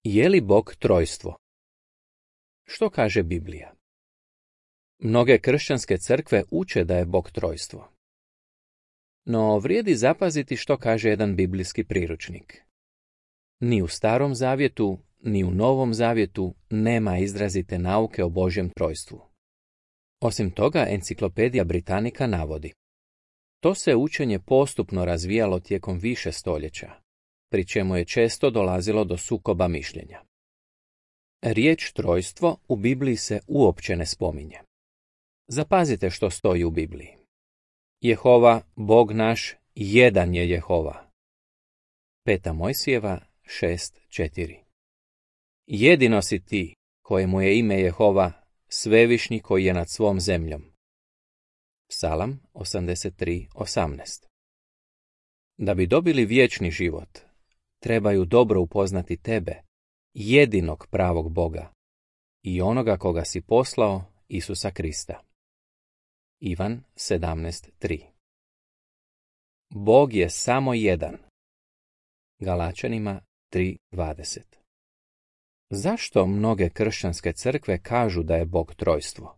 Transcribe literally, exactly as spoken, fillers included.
Je li Bog trojstvo? Što kaže Biblija? Mnoge kršćanske crkve uče da je Bog trojstvo. No vrijedi zapaziti što kaže jedan biblijski priručnik. Ni u Starom zavjetu, ni u Novom zavjetu nema izrazite nauke o Božjem trojstvu. Osim toga, Enciklopedija Britannica navodi: to se učenje postupno razvijalo tijekom više stoljeća, pri čemu je često dolazilo do sukoba mišljenja. Riječ trojstvo u Bibliji se uopće ne spominje. Zapazite što stoji u Bibliji. Jehova, Bog naš, jedan je Jehova. Peta Mojsijeva šest četiri. Jedino si ti, kojemu je ime Jehova, svevišnji koji je nad svom zemljom. Psalam osamdeset tri osamnaest. Da bi dobili vječni život, trebaju dobro upoznati tebe, jedinog pravog Boga, i onoga koga si poslao, Isusa Krista. Ivan sedamnaest tri. Bog je samo jedan. Galačanima tri dvadeset. Zašto mnoge kršćanske crkve kažu da je Bog trojstvo?